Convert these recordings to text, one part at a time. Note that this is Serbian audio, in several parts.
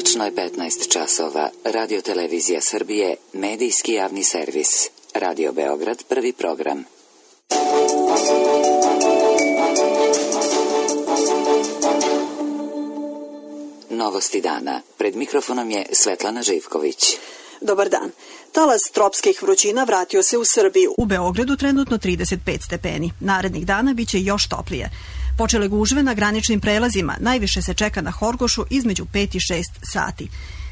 Tačno je 15 časova. Radio Televizija Srbije, medijski javni servis. Radio Beograd, prvi program. Novosti dana. Pred mikrofonom je Svetlana Živković. Dobar dan. Talas tropskih vrućina vratio se u Srbiju. U Beogradu trenutno 35 stepeni. Narednih dana biće još toplije. Počele gužve na graničnim prelazima, najviše se čeka na Horgošu između 5 i 6 sati.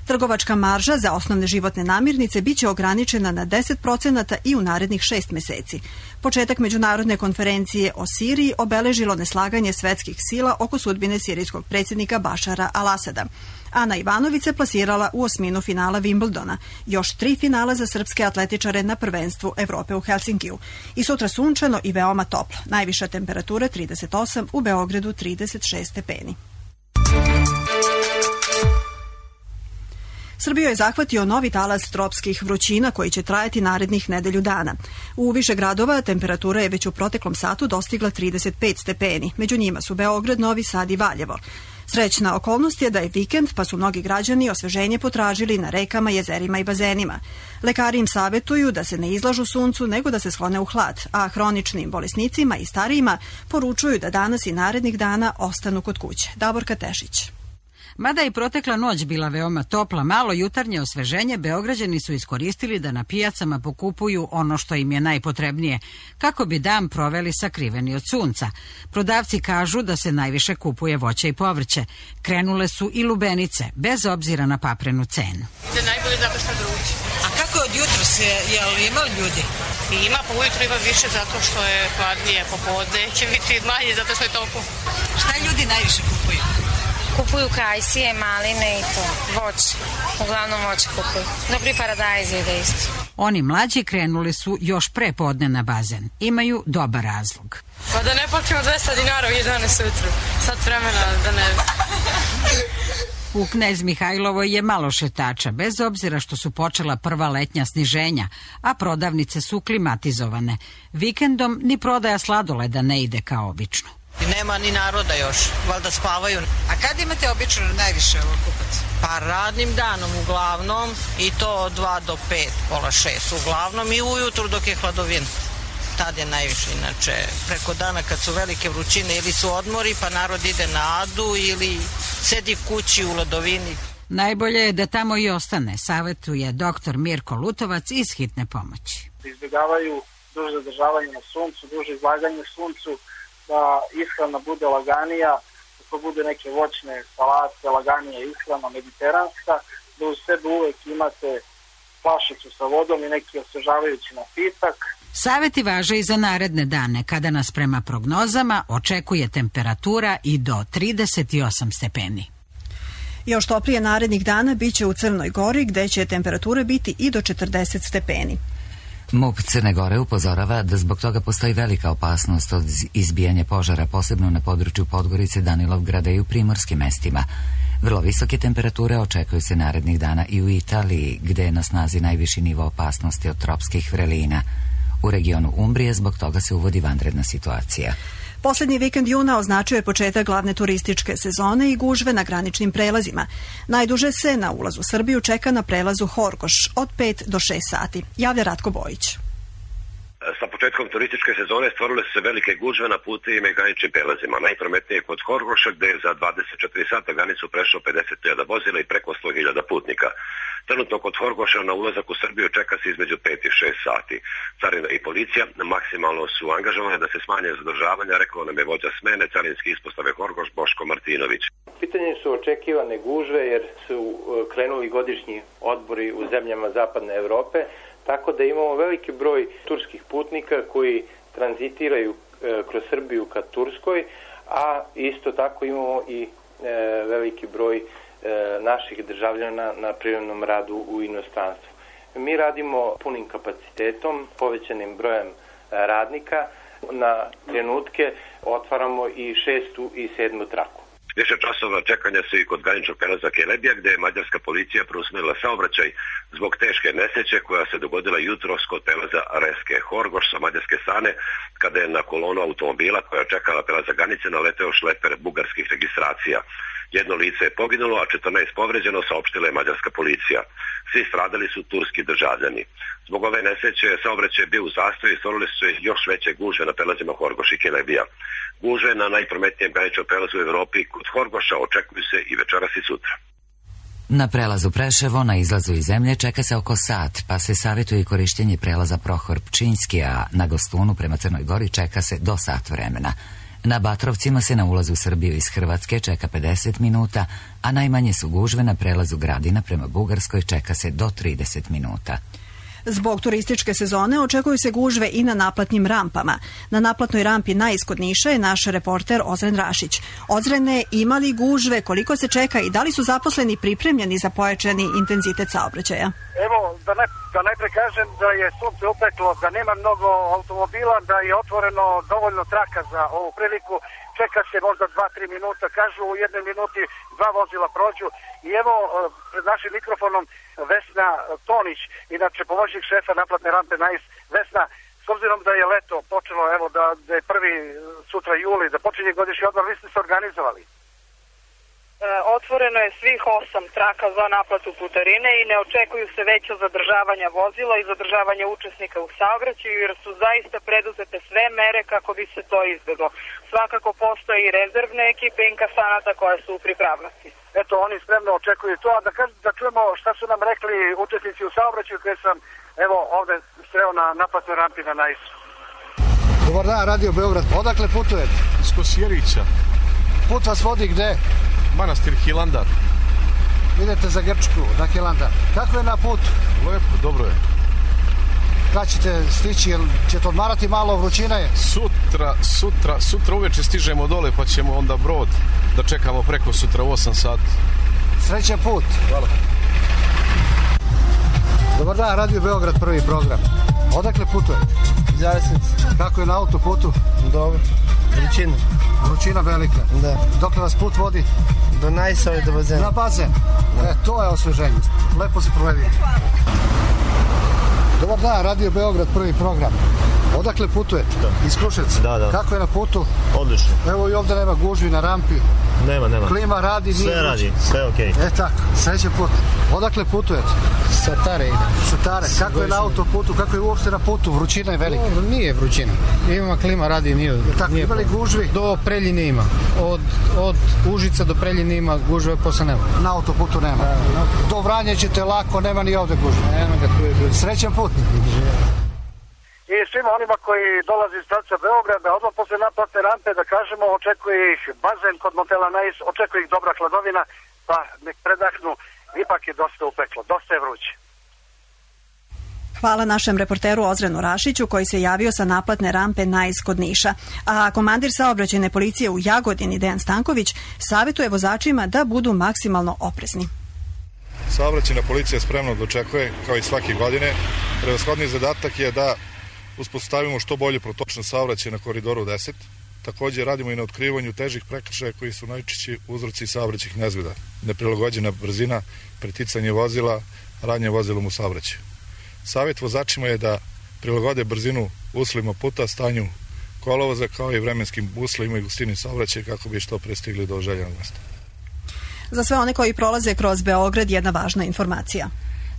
Trgovačka marža za osnovne životne namirnice biće ograničena na 10% i u narednih 6 meseci. Početak međunarodne konferencije o Siriji obeležilo neslaganje svetskih sila oko sudbine sirijskog predsjednika Bašara al-Asada. Ana Ivanović se plasirala u osminu finala Wimbledona, još 3 finala za srpske atletičare na prvenstvu Evrope u Helsinkiju. I sutra sunčano i veoma toplo. Najviša temperatura 38, u Beogradu 36 stepeni. Srbiju je zahvatio novi talas tropskih vrućina koji će trajati narednih nedelju dana. U više gradova temperatura je već u proteklom satu dostigla 35 stepeni. Među njima su Beograd, Novi Sad i Valjevo. Srećna okolnost je da je vikend, pa su mnogi građani osveženje potražili na rekama, jezerima i bazenima. Lekari im savjetuju da se ne izlažu suncu, nego da se sklone u hlad, a hroničnim bolesnicima i starijima poručuju da danas i narednih dana ostanu kod kuće. Davorka Tešić. Mada i protekla noć bila veoma topla, malo jutarnje osveženje Beograđani su iskoristili da na pijacama pokupuju ono što im je najpotrebnije, kako bi dan proveli sakriveni od sunca. Prodavci kažu da se najviše kupuje voće i povrće. Krenule su i lubenice, bez obzira na paprenu cenu. Ide najbolje zato što je vruće. A kako je od jutros, je li ima ljudi? Ima, pa ujutro ima više zato što je hladnije, popodne će biti manje zato što je toplo. Šta ljudi najviše kupuju? Kupuju kajsije, maline i to, voće. Uglavnom voće kupuju. Dobri paradajz ide isto. Oni mlađi krenuli su još pre podne na bazen. Imaju dobar razlog. Pa da ne platimo 200 dinara u 11 ujutru. Sad vremena da ne... U Knez Mihajlovoj je malo šetača, bez obzira što su počela prva letnja sniženja, a prodavnice su klimatizovane. Vikendom ni prodaja sladoleda ne ide kao obično. Nema ni naroda još, valjda spavaju. A kad imate obično najviše kupaca? Pa radnim danom uglavnom i to od 2 do 5, pola 6 uglavnom i ujutru dok je hladovina. Tad je najviše, inače preko dana kad su velike vrućine ili su odmori pa narod ide na adu ili sedi kući u ladovini. Najbolje je da tamo i ostane, savjetuje doktor Mirko Lutovac iz Hitne pomoći. Izbjegavaju duže zadržavanje na suncu, duže izlaganje suncu, da ishrana bude laganija, da to bude neke voćne salate, laganija ishrana, mediteranska, da u sebi uvek imate flašicu sa vodom i neki osvežavajući napitak. Saveti važe i za naredne dane, kada nas prema prognozama očekuje temperatura i do 38 stepeni. Još toplije narednih dana biće u Crnoj Gori, gde će temperatura biti i do 40 stepeni. MUP Crne Gore upozorava da zbog toga postoji velika opasnost od izbijanja požara, posebno na području Podgorice, Danilovgrada i u primorskim mestima. Vrlo visoke temperature očekuju se narednih dana i u Italiji, gde je na snazi najviši nivo opasnosti od tropskih vrelina. U regionu Umbrije zbog toga se uvodi vanredna situacija. Poslednji vikend juna označio je početak glavne turističke sezone i gužve na graničnim prelazima. Najduže se na ulaz u Srbiju čeka na prelazu Horgoš od 5 do 6 sati. Javlja Ratko Bojić. Sa početkom turističke sezone stvorile su se velike gužve na putevima i graničnim prelazima. Najprometnije kod Horgoša, gde je za 24 sata granicu prešlo 50.000 vozila i preko 100.000 putnika. Trenutno kod Horgoša na ulazak u Srbiju čeka se između 5 i 6 sati. Carina i policija maksimalno su angažovane da se smanje zadržavanja, rekao nam je vođa smene carinske ispostave Horgoš Boško Martinović. Pitanje su očekivane gužve jer su krenuli godišnji odbori u zemljama zapadne Evrope, tako da imamo veliki broj turskih putnika koji tranzitiraju kroz Srbiju ka Turskoj, a isto tako imamo i veliki broj naših državljana na privremenom radu u inostranstvu. Mi radimo punim kapacitetom, povećanim brojem radnika. Na trenutke otvaramo i 6. i 7. traku. Više časova čekanja su i kod graničnog prelaza Kelebija, gde je mađarska policija preusmerila saobraćaj zbog teške nesreće koja se dogodila jutros kod prelaza Reske Horgoš sa mađarske strane, kada je na kolonu automobila koja čekala prelaza granice naleteo šleper bugarskih registracija. Jedno lice je poginulo, a 14 povređeno, saopštila je mađarska policija. Svi stradali su turski državljani. Zbog ove nesreće saobraćaj je bio u zastoju i stvorile su se još veće gužve na prelazima Horgoš i Kelebija. Gužve na najprometnijem graničnom prelazu u Evropi kod Horgoša očekuju se i večeras i sutra. Na prelazu Preševo, na izlazu iz zemlje, čeka se oko sat, pa se savjetuje i korištenje prelaza Prohor Pčinjski, a na Gostunu prema Crnoj Gori čeka se do sat vremena. Na Batrovcima se na ulazu u Srbiju iz Hrvatske čeka 50 minuta, a najmanje su gužve na prelazu Gradina prema Bugarskoj, čeka se do 30 minuta. Zbog turističke sezone očekuju se gužve i na naplatnim rampama. Na naplatnoj rampi na iskod Niša je naš reporter Ozren Rašić. Ozrene, ima li gužve, koliko se čeka i da li su zaposleni pripremljeni za pojačani intenzitet saobraćaja? Evo, da najpre kažem da je sunce upeklo, da nema mnogo automobila, da je otvoreno dovoljno traka za ovu priliku. Čeka se možda 2-3 minuta, kažu u jednoj minuti 2 vozila prođu. I evo, pred našim mikrofonom Vesna Tonić, inače pomoćnik šefa naplatne rampe NAIS. Vesna, s obzirom da je leto počelo, evo da je prvi sutra juli, da počinje godišnji odmor, vi ste se organizovali? Otvoreno je svih 8 traka za naplatu putarine i ne očekuju se veća zadržavanja vozila i zadržavanja učesnika u saobraćaju jer su zaista preduzete sve mere kako bi se to izbjeglo. Svakako postoje i rezervne ekipe inkasanata koje su u pripravnosti. Eto, oni spremno očekuju to, a da čujemo šta su nam rekli učesnici u saobraćaju koje sam evo ovde sreo na naplatnoj rampi na NAIS-u. Dobar dan, Radio Beograd. Odakle putujete? Iz Kosjerića. Put vas vodi gde? Manastir Hilandar. Idete za Grčku, na Hilandar. Kako je na putu? Lepo, dobro je. Kad ćete stići, jel ćete odmarati malo, vrućina je? Sutra uveče stižemo dole pa ćemo onda brod da čekamo preko sutra u 8 sati. Srećan put. Hvala. Dobar dan, Radio Beograd, prvi program. Odakle putujete? Zavisnici. Kako je na autoputu? Dobro. Vrućina. Vrućina velika? Da. Dokle vas put vodi? Do Najsa i do bazena. Na bazen? Da. To je osveženje. Lepo se provedi. Dobar dan, Radio Beograd, prvi program. Odakle putujete? Da. Iz Kruševca? Da. Kako je na putu? Odlično. Evo i ovdje nema gužvi na rampi. Nema. Klima radi, nije sve radi, sve okej. Tako, srećan put. Odakle putujete? Satare. Kako je na autoputu, kako je uopšte na putu? Vrućina je velika. Nije vrućina. Ima klima radi, nije. Tako, ima li gužvi? Do Preljine ima. Od Užica do Preljine ima gužve, posle nema. Na autoputu nema. Do Vranja ćete lako, nema ni ovde gužve. Nema ga, tu je. Srećan put. I svima onima koji dolaze iz pravca Beograda, odmah posle naplatne rampe, da kažemo, očekuje ih bazen kod motela NAIS, očekuje ih dobra hladovina, pa nek predahnu, ipak je dosta upeklo, dosta je vruće. Hvala našem reporteru Ozrenu Rašiću koji se javio sa naplatne rampe NAIS kod Niša. A komandir saobraćajne policije u Jagodini Dejan Stanković savjetuje vozačima da budu maksimalno oprezni. Saobraćajna policija spremno dočekuje, kao i svake godine. Prevashodni zadatak je da uspostavimo što bolju protočnost saobraćaja na koridoru 10. Također radimo i na otkrivanju težih prekršaja koji su najčešći uzroci saobraćajnih nezgoda. Neprilagođena brzina, preticanje vozila, radnje vozilom u saobraćaju. Savjet vozačima je da prilagode brzinu uslovima puta, stanju kolovoza kao i vremenskim uslovima i gustini saobraćaja kako bi što pre stigli do željenog mesta. Za sve one koji prolaze kroz Beograd jedna važna informacija.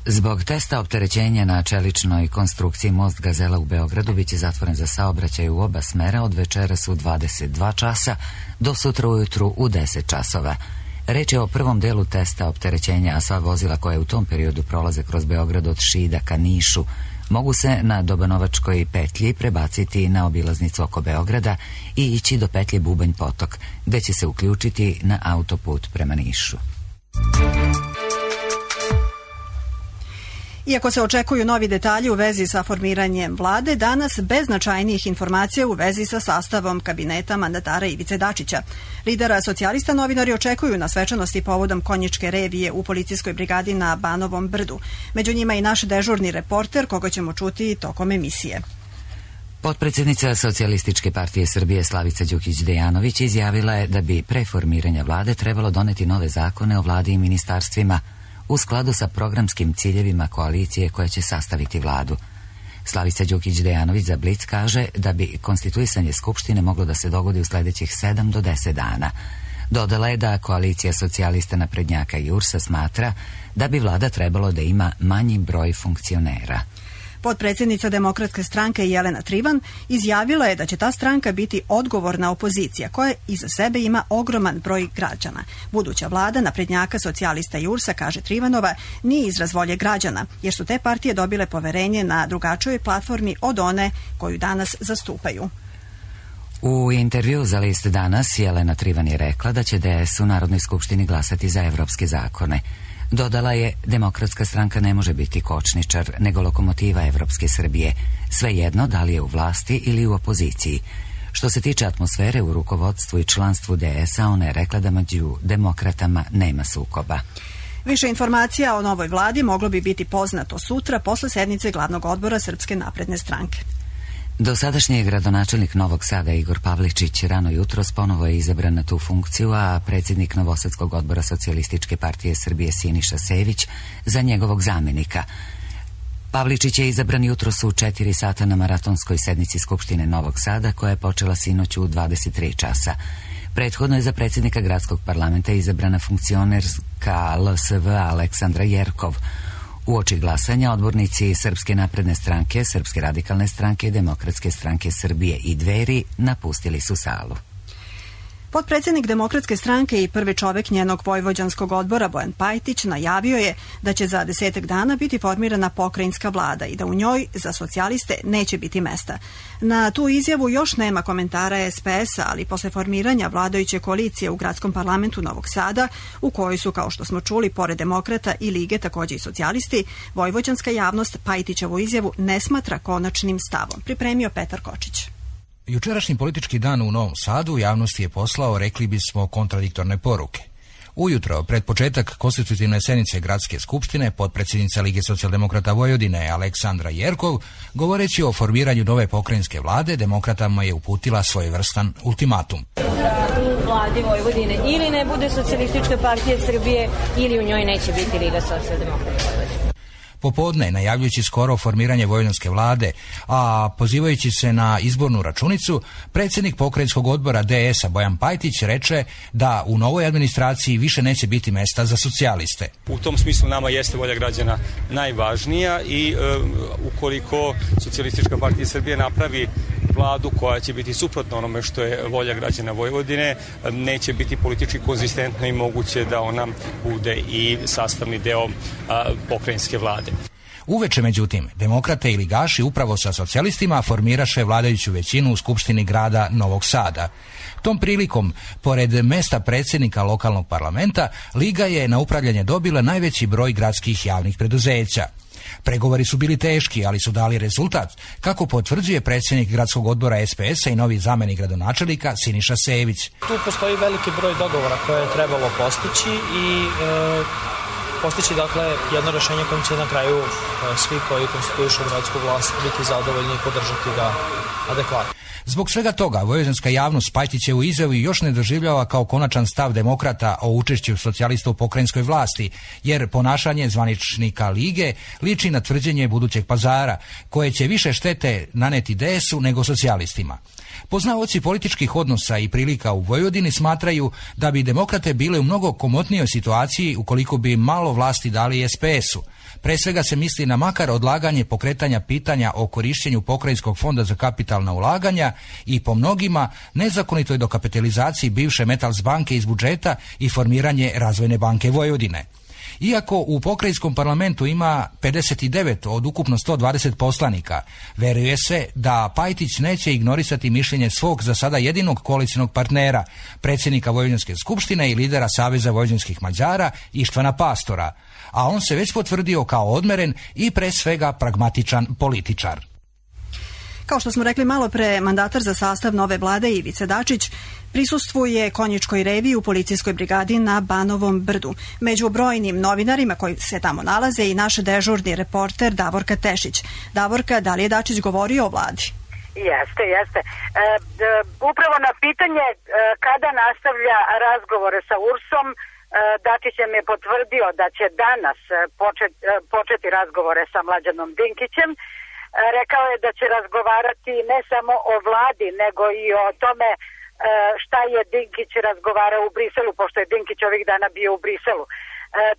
Zbog testa opterećenja na čeličnoj konstrukciji most Gazela u Beogradu biće zatvoren za saobraćaj u oba smera od večeras u 22 časa do sutra ujutru u 10 časova. Reč je o prvom delu testa opterećenja, a sva vozila koje u tom periodu prolaze kroz Beograd od Šida ka Nišu mogu se na Dobanovačkoj petlji prebaciti na obilaznicu oko Beograda i ići do petlje Bubanj Potok, gde će se uključiti na autoput prema Nišu. Iako se očekuju novi detalji u vezi sa formiranjem vlade, danas bez značajnijih informacija u vezi sa sastavom kabineta mandatara Ivice Dačića. Lidera socijalista novinari očekuju na svečanosti povodom konjičke revije u policijskoj brigadi na Banovom brdu. Među njima i naš dežurni reporter, koga ćemo čuti tokom emisije. Potpredsjednica Socijalističke partije Srbije Slavica Đukić-Dejanović izjavila je da bi pre formiranja vlade trebalo doneti nove zakone o vladi i ministarstvima u skladu sa programskim ciljevima koalicije koja će sastaviti vladu. Slavica Đukić-Dejanović za Blic kaže da bi konstituisanje Skupštine moglo da se dogodi u sljedećih 7 do 10 dana. Dodala je da koalicija socijalista, naprednjaka i URS-a smatra da bi vlada trebalo da ima manji broj funkcionera. Potpredsjednica Demokratske stranke Jelena Trivan izjavila je da će ta stranka biti odgovorna opozicija koja iza sebe ima ogroman broj građana. Buduća vlada naprednjaka, socijalista i URS-a, kaže Trivanova, nije izraz volje građana, jer su te partije dobile poverenje na drugačijoj platformi od one koju danas zastupaju. U intervju za list Danas Jelena Trivan je rekla da će DS u Narodnoj skupštini glasati za evropske zakone. Dodala je, Demokratska stranka ne može biti kočničar, nego lokomotiva Evropske Srbije, svejedno da li je u vlasti ili u opoziciji. Što se tiče atmosfere u rukovodstvu i članstvu DS-a, ona je rekla da među demokratama nema sukoba. Više informacija o novoj vladi moglo bi biti poznato sutra posle sednice glavnog odbora Srpske napredne stranke. Dosadašnji gradonačelnik Novog Sada Igor Pavličić rano jutros ponovo je izabran na tu funkciju, a predsjednik Novosadskog odbora Socijalističke partije Srbije Siniša Sević za njegovog zamjenika. Pavličić je izabran jutros u 4 sata na maratonskoj sednici Skupštine Novog Sada, koja je počela sinoć u 23 časa. Prethodno je za predsjednika gradskog parlamenta izabrana funkcionerska LSV Aleksandra Jerkov. Uoči glasanja odbornici Srpske napredne stranke, Srpske radikalne stranke, Demokratske stranke Srbije i Dveri napustili su salu. Potpredsjednik Demokratske stranke i prvi čovek njenog vojvođanskog odbora Bojan Pajtić najavio je da će za 10 dana biti formirana pokrajinska vlada i da u njoj za socijaliste neće biti mesta. Na tu izjavu još nema komentara SPS-a, ali posle formiranja vladajuće koalicije u gradskom parlamentu Novog Sada, u kojoj su, kao što smo čuli, pored Demokrata i Lige također i socijalisti, vojvođanska javnost Pajtićevu izjavu ne smatra konačnim stavom. Pripremio Petar Kočić. Jučerašnji politički dan u Novom Sadu javnosti je poslao, rekli bismo, kontradiktorne poruke. Ujutro, pred početak konstitutivne sednice Gradske skupštine, potpredsjednica Lige socijaldemokrata Vojvodine Aleksandra Jerkov, govoreći o formiranju nove pokrajinske vlade, demokratama je uputila svojevrstan ultimatum. U vladi Vojvodine ili ne bude Socijalistička partija Srbije ili u njoj neće biti Liga socijaldemokrata Vojvodine. Popodne, najavljujući skoro formiranje vojvođanske vlade, a pozivajući se na izbornu računicu, predsjednik pokrajinskog odbora DS-a Bojan Pajtić reče da u novoj administraciji više neće biti mesta za socijaliste. U tom smislu nama jeste volja građana najvažnija i ukoliko Socijalistička partija Srbije napravi vladu koja će biti suprotno onome što je volja građana Vojvodine, neće biti politički konzistentno i moguće da ona bude i sastavni deo pokrajinske vlade. Uveče, međutim, demokrate i ligaši upravo sa socijalistima formiraše vladajuću većinu u Skupštini grada Novog Sada. Tom prilikom, pored mesta predsjednika lokalnog parlamenta, Liga je na upravljanje dobila najveći broj gradskih javnih preduzeća. Pregovori su bili teški, ali su dali rezultat, kako potvrđuje predsjednik gradskog odbora SPS-a i novi zamjenik gradonačelnika Siniša Sević. Tu postoji veliki broj dogovora koje je trebalo postići i postići dakle jedno rješenje kojim će na kraju svi koji konstituišu gradsku vlast biti zadovoljni i podržati ga adekvatno. Zbog svega toga, vojvođanska javnost Pajtićevu izjavu još ne doživljava kao konačan stav demokrata o učešću socijalista u pokrajinskoj vlasti, jer ponašanje zvaničnika Lige liči na tvrđenje budućeg Pazara, koje će više štete naneti DS-u nego socijalistima. Poznavaoci političkih odnosa i prilika u Vojvodini smatraju da bi demokrate bile u mnogo komotnijoj situaciji ukoliko bi malo vlasti dali SPS-u. Pre svega se misli na makar odlaganje pokretanja pitanja o korištenju pokrajinskog fonda za kapitalna ulaganja i po mnogima nezakonitoj dokapitalizaciji bivše Metals banke iz budžeta i formiranje Razvojne banke Vojvodine. Iako u pokrajinskom parlamentu ima 59 od ukupno 120 poslanika, veruje se da Pajtić neće ignorisati mišljenje svog za sada jedinog koalicijnog partnera, predsjednika Vojvođanske skupštine i lidera Saveza vojvođanskih Mađara Ištvana Pastora, a on se već potvrdio kao odmeren i pre svega pragmatičan političar. Kao što smo rekli malo pre, mandatar za sastav nove vlade Ivica Dačić prisustvuje konjičkoj reviji u policijskoj brigadi na Banovom brdu. Među brojnim novinarima koji se tamo nalaze i naš dežurni reporter Davorka Tešić. Davorka, da li je Dačić govorio o vladi? Jeste. Upravo na pitanje kada nastavlja razgovore sa URS-om, Dačić je potvrdio da će danas početi razgovore sa Mlađanom Dinkićem. Rekao je da će razgovarati ne samo o vladi, nego i o tome šta je Dinkić razgovarao u Briselu, pošto je Dinkić ovih dana bio u Briselu.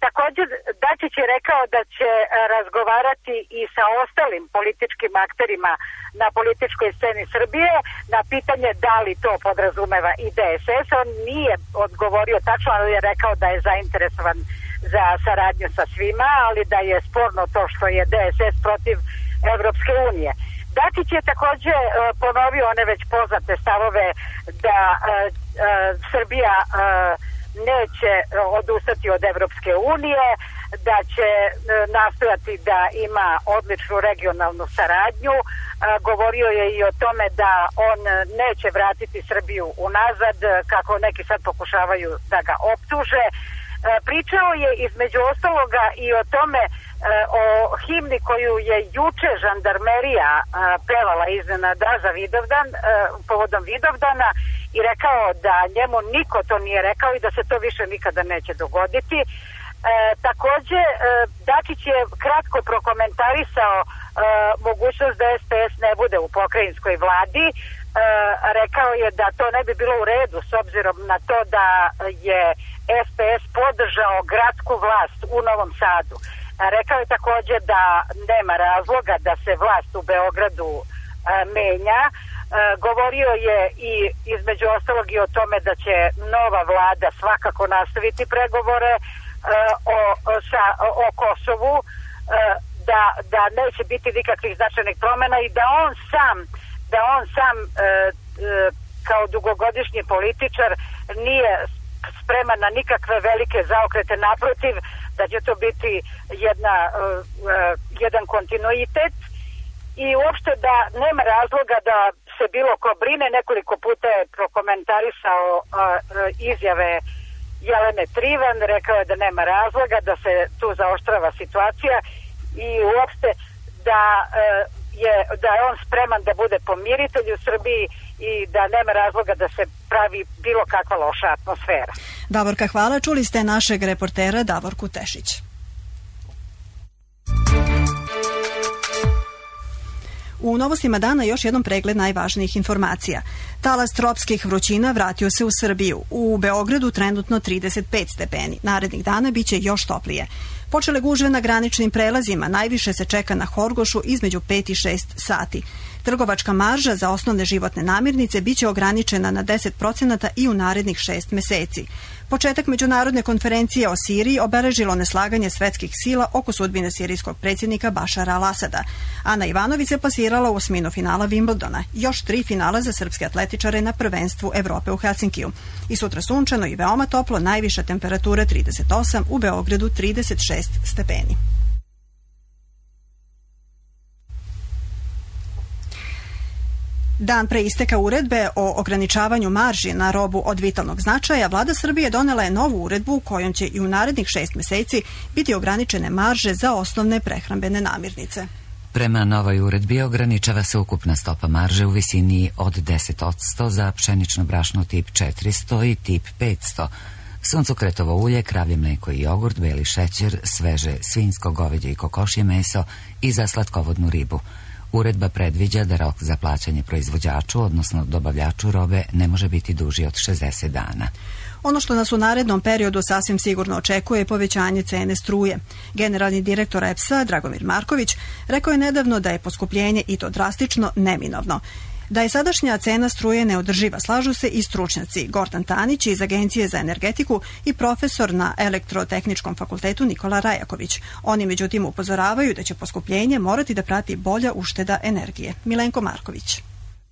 Također, Dačić je rekao da će razgovarati i sa ostalim političkim akterima na političkoj sceni Srbije na pitanje da li to podrazumeva i DSS. On nije odgovorio tačno, ali je rekao da je zainteresovan za saradnju sa svima, ali da je sporno to što je DSS protiv Evropske unije. Dačić je također ponovio one već poznate stavove da Srbija neće odustati od Evropske unije, da će nastojati da ima odličnu regionalnu saradnju. Govorio je i o tome da on neće vratiti Srbiju unazad, kako neki sad pokušavaju da ga optuže. Pričao je između ostaloga i o tome, o himni koju je juče žandarmerija pevala iznenada za Vidovdan, povodom Vidovdana, i rekao da njemu niko to nije rekao i da se to više nikada neće dogoditi. Također, Dačić je kratko prokomentarisao mogućnost da SPS ne bude u pokrajinskoj vladi. Rekao je da to ne bi bilo u redu s obzirom na to da je SPS podržao gradsku vlast u Novom Sadu. Rekao je također da nema razloga da se vlast u Beogradu menja. Govorio je i između ostalog i o tome da će nova vlada svakako nastaviti pregovore o Kosovu, da neće biti nikakvih značajnih promjena i da on sam kao dugogodišnji političar nije spreman na nikakve velike zaokrete, naprotiv, da će to biti jedan kontinuitet i uopšte da nema razloga da se bilo ko brine. Nekoliko puta je prokomentarisao izjave Jelene Trivan, rekao je da nema razloga, da se tu zaoštrava situacija i uopšte da je on spreman da bude pomiritelj u Srbiji i da nema razloga da se pravi bilo kakva loša atmosfera. Davorka, hvala. Čuli ste našeg reportera Davorku Tešić. U novostima dana još jednom pregled najvažnijih informacija. Talas tropskih vrućina vratio se u Srbiju. U Beogradu trenutno 35 stepeni. Narednih dana biće još toplije. Počele gužve na graničnim prelazima. Najviše se čeka na Horgošu između 5 i 6 sati. Trgovačka marža za osnovne životne namirnice biće ograničena na 10% i u narednih 6 meseci. Početak međunarodne konferencije o Siriji obeležilo neslaganje svetskih sila oko sudbine sirijskog predsjednika Bašara al-Asada. Ana Ivanović se plasirala u osminu finala Wimbledona. Još 3 finala za srpske atletičare na prvenstvu Evrope u Helsinkiju. I sutra sunčano i veoma toplo, najviša temperatura 38, u Beogradu 36 stepeni. Dan pre isteka uredbe o ograničavanju marži na robu od vitalnog značaja, vlada Srbije donela je novu uredbu kojom će i u narednih 6 meseci biti ograničene marže za osnovne prehrambene namirnice. Prema novoj uredbi ograničava se ukupna stopa marže u visini od 10% za pšenično brašno tip 400 i tip 500, suncokretovo ulje, kravlje mlijeko i jogurt, beli šećer, sveže svinjsko, goveđe i kokošje meso i za slatkovodnu ribu. Uredba predviđa da rok za plaćanje proizvođaču, odnosno dobavljaču robe, ne može biti duži od 60 dana. Ono što nas u narednom periodu sasvim sigurno očekuje je povećanje cene struje. Generalni direktor EPS-a, Dragomir Marković, rekao je nedavno da je poskupljenje, i to drastično, neminovno. Da je sadašnja cena struje neodrživa, slažu se i stručnjaci. Gordan Tanić iz Agencije za energetiku i profesor na Elektrotehničkom fakultetu Nikola Rajaković. Oni međutim upozoravaju da će poskupljenje morati da prati bolja ušteda energije. Milenko Marković.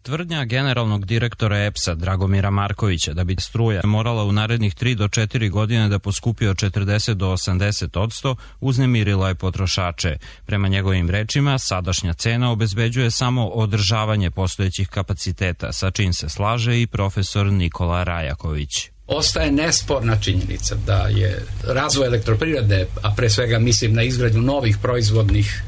Tvrdnja generalnog direktora EPS-a Dragomira Markovića da bi struja morala u narednih 3 do 4 godine da poskupi od 40 do 80% uznemirila je potrošače. Prema njegovim rečima, sadašnja cena obezbeđuje samo održavanje postojećih kapaciteta, sa čim se slaže i profesor Nikola Rajaković. Ostaje nesporna činjenica da je razvoj elektroprivrede, a pre svega mislim na izgradnju novih proizvodnih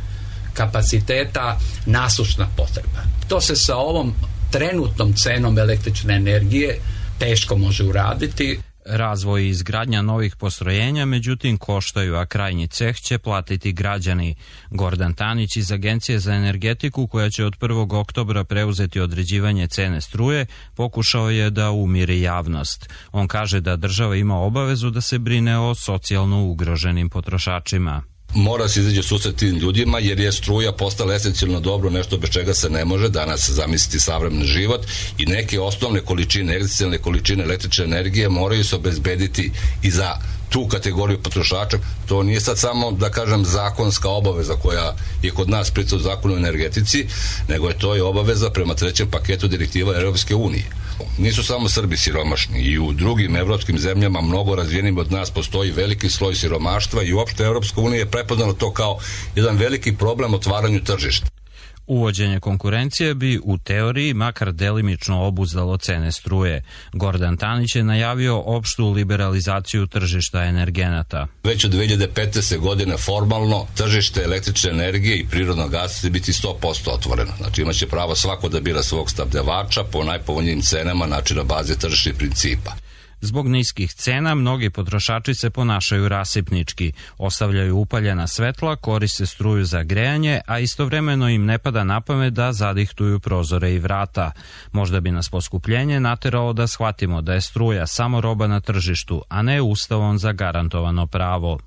kapaciteta, nasušna potreba. To se sa ovom trenutnom cenom električne energije teško može uraditi. Razvoj i izgradnja novih postrojenja, međutim, koštaju, a krajnji ceh će platiti građani. Gordan Tanić iz Agencije za energetiku, koja će od 1. oktobra preuzeti određivanje cene struje, pokušao je da umiri javnost. On kaže da država ima obavezu da se brine o socijalno ugroženim potrošačima. Mora se izaći u susret tim ljudima jer je struja postala esencijalno dobro, nešto bez čega se ne može danas zamisliti savremeni život i neke osnovne količine, esencijalne količine električne energije moraju se obezbediti i za tu kategoriju potrošača. To nije sad samo, da kažem, zakonska obaveza koja je kod nas pricao u zakonu o energetici, nego je to i obaveza prema trećem paketu direktiva Europske unije. Nisu samo Srbi siromašni, i u drugim evropskim zemljama mnogo razvijenim od nas postoji veliki sloj siromaštva i uopšte Europska unija je prepoznala to kao jedan veliki problem otvaranju tržišta. Uvođenje konkurencije bi u teoriji makar delimično obuzdalo cene struje. Gordan Tanić je najavio opštu liberalizaciju tržišta energenata. Već od 2015. godine formalno tržište električne energije i prirodnog gasa će biti 100% otvoreno. Znači imaće pravo svako da bira svog snabdevača po najpovoljnijim cenama, znači na bazi tržišnih principa. Zbog niskih cena, mnogi potrošači se ponašaju rasipnički, ostavljaju upaljena svetla, koriste struju za grejanje, a istovremeno im ne pada na pamet da zadihtuju prozore i vrata. Možda bi nas poskupljenje nateralo da shvatimo da je struja samo roba na tržištu, a ne ustavom zagarantovano pravo.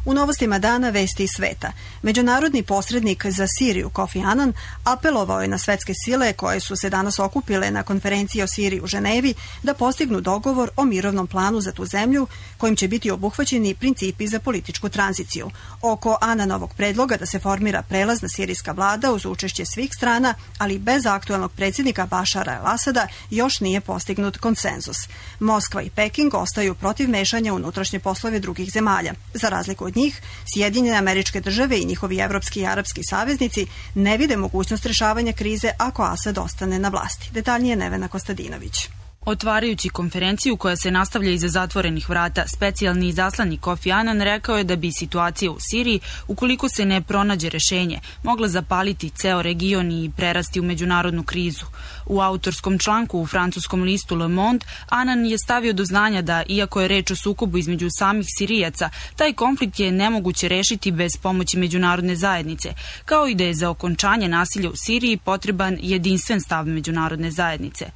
U novostima dana vesti iz sveta. Međunarodni posrednik za Siriju Kofi Annan apelovao je na svetske sile koje su se danas okupile na konferenciji o Siriji u Ženevi da postignu dogovor o mirovnom planu za tu zemlju kojim će biti obuhvaćeni principi za političku tranziciju. Oko Annanovog predloga da se formira prelazna sirijska vlada uz učešće svih strana, ali bez aktuelnog predsjednika Bašara el-Asada, još nije postignut konsenzus. Moskva i Peking ostaju protiv mešanja u unutrašnje poslove drugih zemalja. Za razliku od njih, Sjedinjene Američke Države i njihovi evropski i arapski saveznici ne vide mogućnost rešavanja krize ako Asad ostane na vlasti. Detaljnije Nevena Kostadinović. Otvarajući konferenciju koja se nastavlja iza zatvorenih vrata, specijalni izaslanik Kofi Annan rekao je da bi situacija u Siriji, ukoliko se ne pronađe rešenje, mogla zapaliti ceo region i prerasti u međunarodnu krizu. U autorskom članku u francuskom listu Le Monde, Annan je stavio do znanja da, iako je reč o sukobu između samih Sirijaca, taj konflikt je nemoguće rešiti bez pomoći međunarodne zajednice, kao i da je za okončanje nasilja u Siriji potreban jedinstven stav međunarodne zajednice.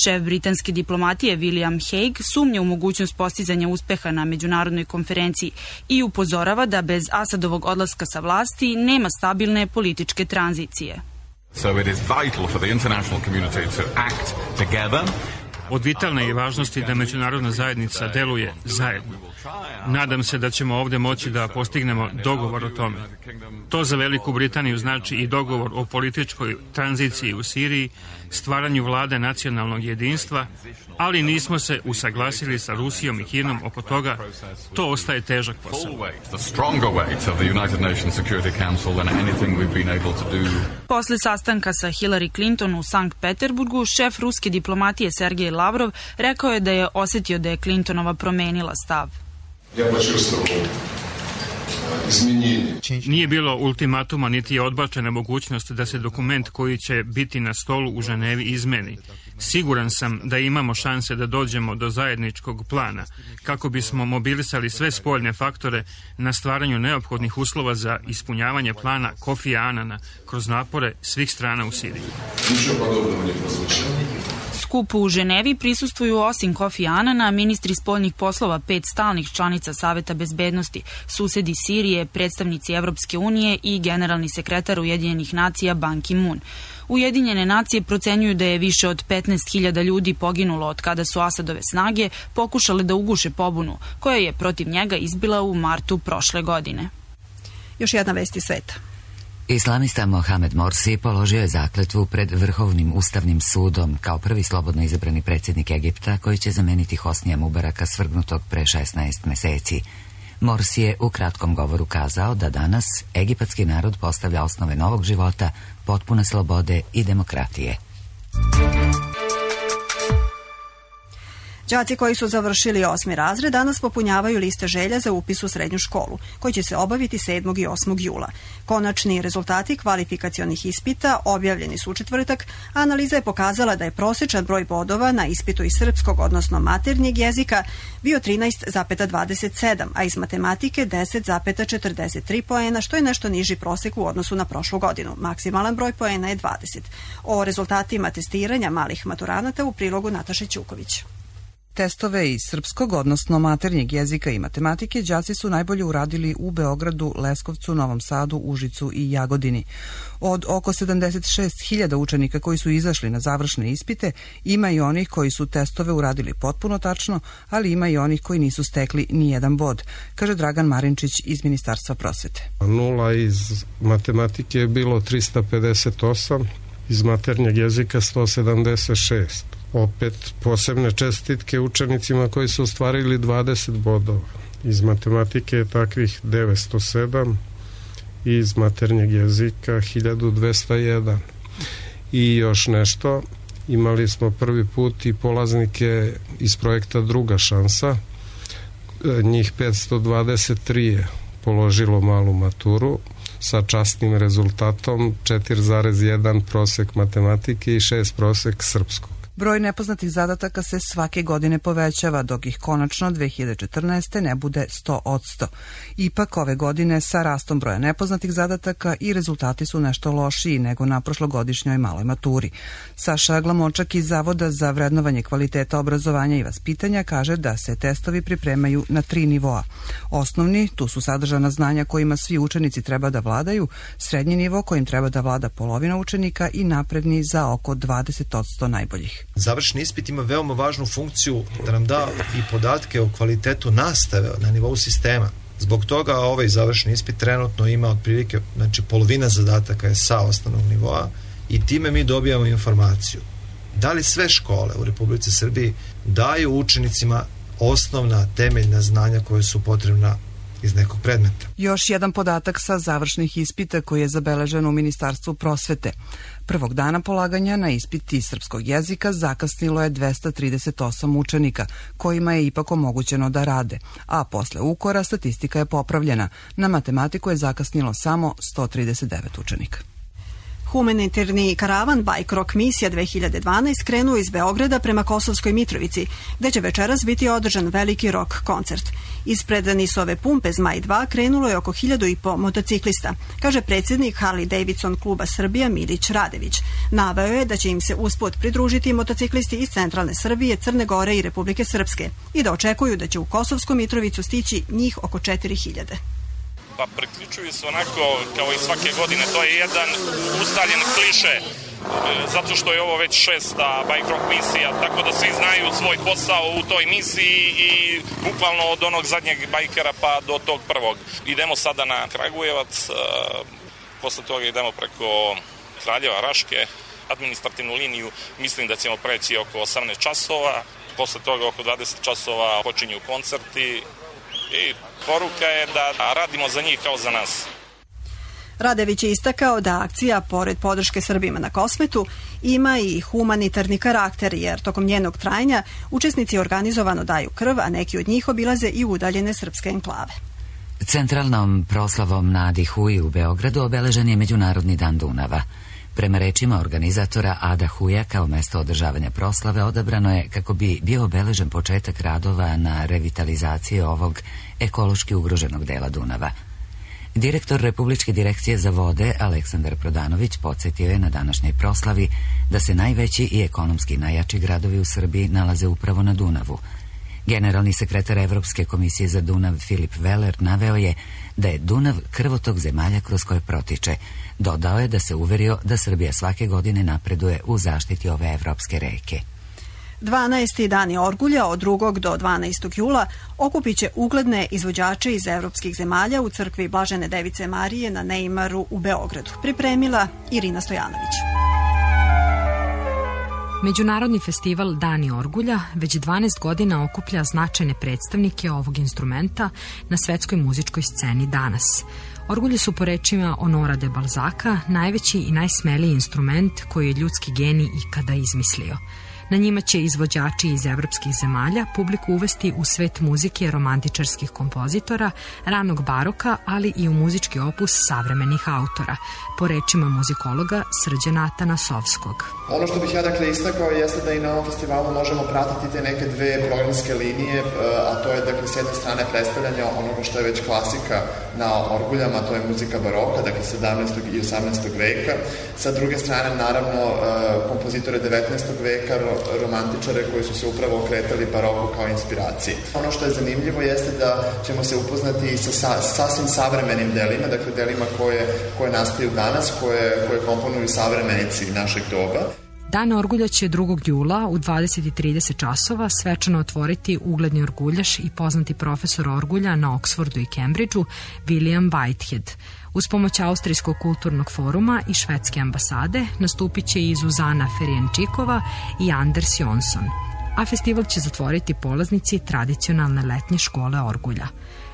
Šef britanske diplomatije William Hague sumnja u mogućnost postizanja uspeha na međunarodnoj konferenciji i upozorava da bez Asadovog odlaska sa vlasti nema stabilne političke tranzicije. So it is vital for the international community to act together. Od vitalne je važnosti da međunarodna zajednica deluje zajedno. Nadam se da ćemo ovdje moći da postignemo dogovor o tome. To za Veliku Britaniju znači i dogovor o političkoj tranziciji u Siriji, stvaranju vlade nacionalnog jedinstva, ali nismo se usaglasili sa Rusijom i Kinom oko toga. To ostaje težak posao. Posle sastanka sa Hillary Clinton u Sankt Peterburgu, šef ruske diplomatije Sergej Lavrov rekao je da je osjetio da je Clintonova promenila stav. Nije bilo ultimatuma niti je odbačena mogućnost da se dokument koji će biti na stolu u Ženevi izmeni. Siguran sam da imamo šanse da dođemo do zajedničkog plana kako bismo mobilisali sve spoljne faktore na stvaranju neophodnih uslova za ispunjavanje plana Kofija Annana kroz napore svih strana u Siriji. Skupu u Ženevi prisustvuju osim Kofi Annana ministri spoljnih poslova 5 stalnih članica Saveta bezbednosti, susedi Sirije, predstavnici Evropske unije i generalni sekretar Ujedinjenih nacija Ban Ki-moon. Ujedinjene nacije procenjuju da je više od 15.000 ljudi poginulo od kada su Asadove snage pokušale da uguše pobunu, koja je protiv njega izbila u martu prošle godine. Još jedna vest iz sveta. Islamista Mohamed Morsi položio je zakletvu pred Vrhovnim ustavnim sudom kao prvi slobodno izabrani predsjednik Egipta koji će zameniti Hosnija Mubaraka svrgnutog pre 16 meseci. Morsi je u kratkom govoru kazao da danas egipatski narod postavlja osnove novog života, potpune slobode i demokratije. Đaci koji su završili 8. razred danas popunjavaju liste želja za upis u srednju školu, koji će se obaviti 7. i 8. jula. Konačni rezultati kvalifikacionih ispita objavljeni su u četvrtak, a analiza je pokazala da je prosječan broj bodova na ispitu iz srpskog, odnosno maternjeg jezika, bio 13,27, a iz matematike 10,43 poena, što je nešto niži prosek u odnosu na prošlu godinu. Maksimalan broj poena je 20. O rezultatima testiranja malih maturanata u prilogu Nataše Ćuković. Testove iz srpskog, odnosno maternjeg jezika i matematike, đaci su najbolje uradili u Beogradu, Leskovcu, Novom Sadu, Užicu i Jagodini. Od oko 76.000 učenika koji su izašli na završne ispite, ima i onih koji su testove uradili potpuno tačno, ali ima i onih koji nisu stekli ni jedan bod, kaže Dragan Marinčić iz Ministarstva prosvete. Nula iz matematike je bilo 358, iz maternjeg jezika 176. Opet posebne čestitke učenicima koji su ostvarili 20 bodova. Iz matematike je takvih 907 i iz maternjeg jezika 1201. I još nešto, imali smo prvi put i polaznike iz projekta Druga šansa. Njih 523 je položilo malu maturu sa častnim rezultatom 4,1 prosek matematike i 6 prosek srpskog. Broj nepoznatih zadataka se svake godine povećava, dok ih konačno 2014. ne bude 100%. Ipak ove godine sa rastom broja nepoznatih zadataka i rezultati su nešto lošiji nego na prošlogodišnjoj maloj maturi. Saša Glamočak iz Zavoda za vrednovanje kvaliteta obrazovanja i vaspitanja kaže da se testovi pripremaju na 3 nivoa. Osnovni, tu su sadržana znanja kojima svi učenici treba da vladaju, srednji nivo kojim treba da vlada polovina učenika i napredni za oko 20% najboljih. Završni ispit ima veoma važnu funkciju da nam da i podatke o kvalitetu nastave na nivou sistema. Zbog toga ovaj završni ispit trenutno ima otprilike, znači polovina zadataka je sa osnovnog nivoa i time mi dobijamo informaciju da li sve škole u Republici Srbiji daju učenicima osnovna temeljna znanja koje su potrebna iz nekog predmeta. Još jedan podatak sa završnih ispita koji je zabeležen u Ministarstvu prosvete. Prvog dana polaganja na ispit iz srpskog jezika zakasnilo je 238 učenika, kojima je ipak omogućeno da rade, a posle ukora statistika je popravljena. Na matematiku je zakasnilo samo 139 učenika. Humanitarni karavan Bike Rock misija 2012 krenuo iz Beograda prema Kosovskoj Mitrovici, gde će večeras biti održan veliki rock koncert. Ispred Nisove pumpe Zmaj 2 krenulo je oko 1500 motociklista, kaže predsjednik Harley Davidson kluba Srbija Milić Radević. Naveo je da će im se usput pridružiti motociklisti iz centralne Srbije, Crne Gore i Republike Srpske i da očekuju da će u Kosovsku Mitrovicu stići njih oko 4000. Pa priključuju se onako kao i svake godine, to je jedan ustaljen kliše, zato što je ovo već 6. Bike Rock misija, tako da svi znaju svoj posao u toj misiji i bukvalno od onog zadnjeg bajkera pa do tog prvog. Idemo sada na Kragujevac, posle toga idemo preko Kraljeva, Raške, administrativnu liniju, mislim da ćemo preći oko 18 časova, posle toga oko 20 časova počinju koncerti, i poruka je da radimo za njih kao za nas. Radević je istakao da akcija, pored podrške Srbima na Kosmetu, ima i humanitarni karakter, jer tokom njenog trajanja učesnici organizovano daju krv, a neki od njih obilaze i udaljene srpske enklave. Centralnom proslavom na Adihuji u Beogradu obeležen je Međunarodni dan Dunava. Prema rečima organizatora Ada Huja, kao mesto održavanja proslave odabrano je kako bi bio obeležen početak radova na revitalizaciji ovog ekološki ugroženog dela Dunava. Direktor Republičke direkcije za vode Aleksandar Prodanović podsjetio je na današnjoj proslavi da se najveći i ekonomski najjači gradovi u Srbiji nalaze upravo na Dunavu. Generalni sekretar Evropske komisije za Dunav Filip Veler naveo je da je Dunav krvotok zemalja kroz koje protiče. Dodao je da se uverio da Srbija svake godine napreduje u zaštiti ove evropske reke. 12. dani Orgulja od 2. do 12. jula okupit će ugledne izvođače iz evropskih zemalja u crkvi Blažene Device Marije na Neimaru u Beogradu. Pripremila Irina Stojanović. Međunarodni festival Dani Orgulja već 12 godina okuplja značajne predstavnike ovog instrumenta na svetskoj muzičkoj sceni danas. Orgulje su po rečima Honora de Balzaca najveći i najsmeliji instrument koji je ljudski genij ikada izmislio. Na njima će izvođači iz evropskih zemalja publiku uvesti u svet muzike romantičarskih kompozitora, ranog baroka, ali i u muzički opus savremenih autora, po rečima muzikologa Srđana Tanasovskog. Ono što bih ja dakle istakao jeste da i na ovom festivalu možemo pratiti te neke dve programske linije, a to je dakle s jedne strane predstavljanje onoga što je već klasika na orguljama, to je muzika baroka, dakle 17. i 18. veka. Sa druge strane, naravno, kompozitore 19. veka, romantičare koji su se upravo okretali baroku kao inspiraciji. Ono što je zanimljivo jeste da ćemo se upoznati i sa sasvim savremenim delima, dakle delima koje nastaju danas, koje komponuju savremenici našeg doba. Dan orgulja će 2. jula u 20:30 časova svečano otvoriti ugledni orguljaš i poznati profesor orgulja na Oksfordu i Cambridgeu, William Whitehead. Uz pomoć Austrijskog kulturnog foruma i švedske ambasade nastupit će i Zuzana Ferjenčikova i Anders Jonsson, a festival će zatvoriti polaznici tradicionalne letnje škole orgulja.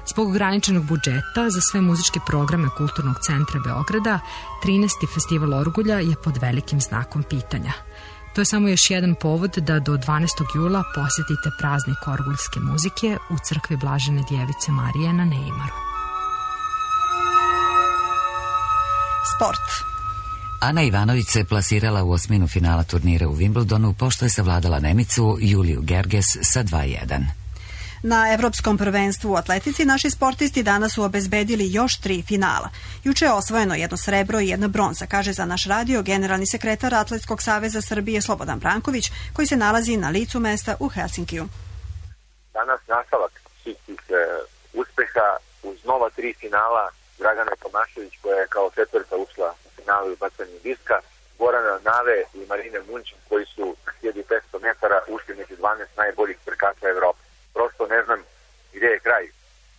Zbog ograničenog budžeta za sve muzičke programe Kulturnog centra Beograda, 13. festival orgulja je pod velikim znakom pitanja. To je samo još jedan povod da do 12. jula posjetite praznik orguljske muzike u crkvi Blažene Djevice Marije na Neimaru. Sport. Ana Ivanović se plasirala u osminu finala turnira u Wimbledonu, pošto je savladala Nemicu Juliju Gerges sa 2:1. Na Evropskom prvenstvu u atletici naši sportisti danas su obezbedili još 3 finala. Juče je osvojeno 1 srebro i 1 bronza, kaže za naš radio generalni sekretar Atletskog saveza Srbije Slobodan Branković, koji se nalazi na licu mesta u Helsinkiju. Danas nastavak svih tih uspeha uz nova 3 finala, Dragana Tomašević koja je kao četvrta ušla u finalu i bacanju diska, Gorana Nave i Marine Munčin koji su na 1500 metara ušli među 12 najboljih trkača Evrope. Prosto ne znam gdje je kraj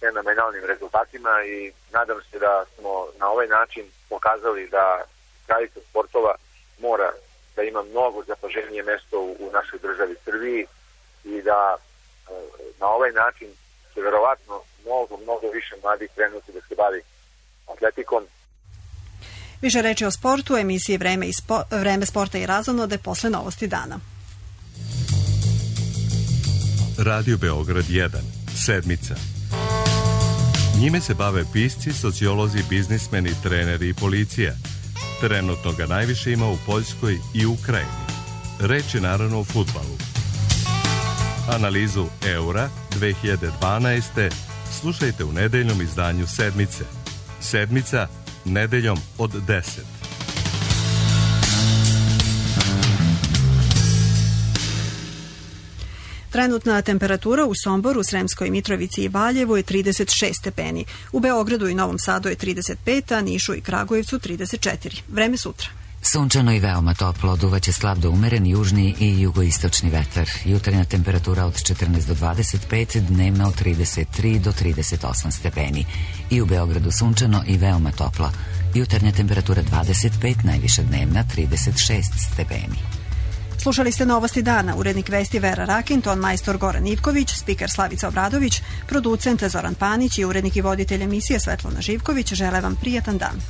fenomenalnim rezultatima i nadam se da smo na ovaj način pokazali da kraljica sportova mora da ima mnogo zapaženije mesto u našoj državi Srbiji i da na ovaj način će verovatno mnogo više mladih krenuti da se bavi atletikom. Više reči o sportu, emisiji Vreme sporta i razonode posle novosti dana. Radio Beograd 1, sedmica. Njime se bave pisci, sociolozi, biznismeni, treneri i policija. Trenutno ga najviše ima u Poljskoj i Ukrajini. Reč je naravno o fudbalu. Analizu Eura 2012. slušajte u nedeljnom izdanju Sedmice. Sedmica, nedeljom od 10. Trenutna temperatura u Somboru, Sremskoj Mitrovici i Valjevu je 36 stepeni. U Beogradu i Novom Sadu je 35, a Nišu i Kragujevcu 34. Vreme sutra. Sunčano i veoma toplo, duvaće slab do umeren južni i jugoistočni vetar. Jutarnja temperatura od 14 do 25, dnevna od 33 do 38 stepeni. I u Beogradu sunčano i veoma toplo. Jutarnja temperatura 25, najviša dnevna 36 stepeni. Slušali ste novosti dana, urednik vesti Vera Rakin, ton majstor Goran Ivković, spiker Slavica Obradović, producent Zoran Panić i urednik i voditelj emisije Svetlana Živković. Žele vam prijatan dan.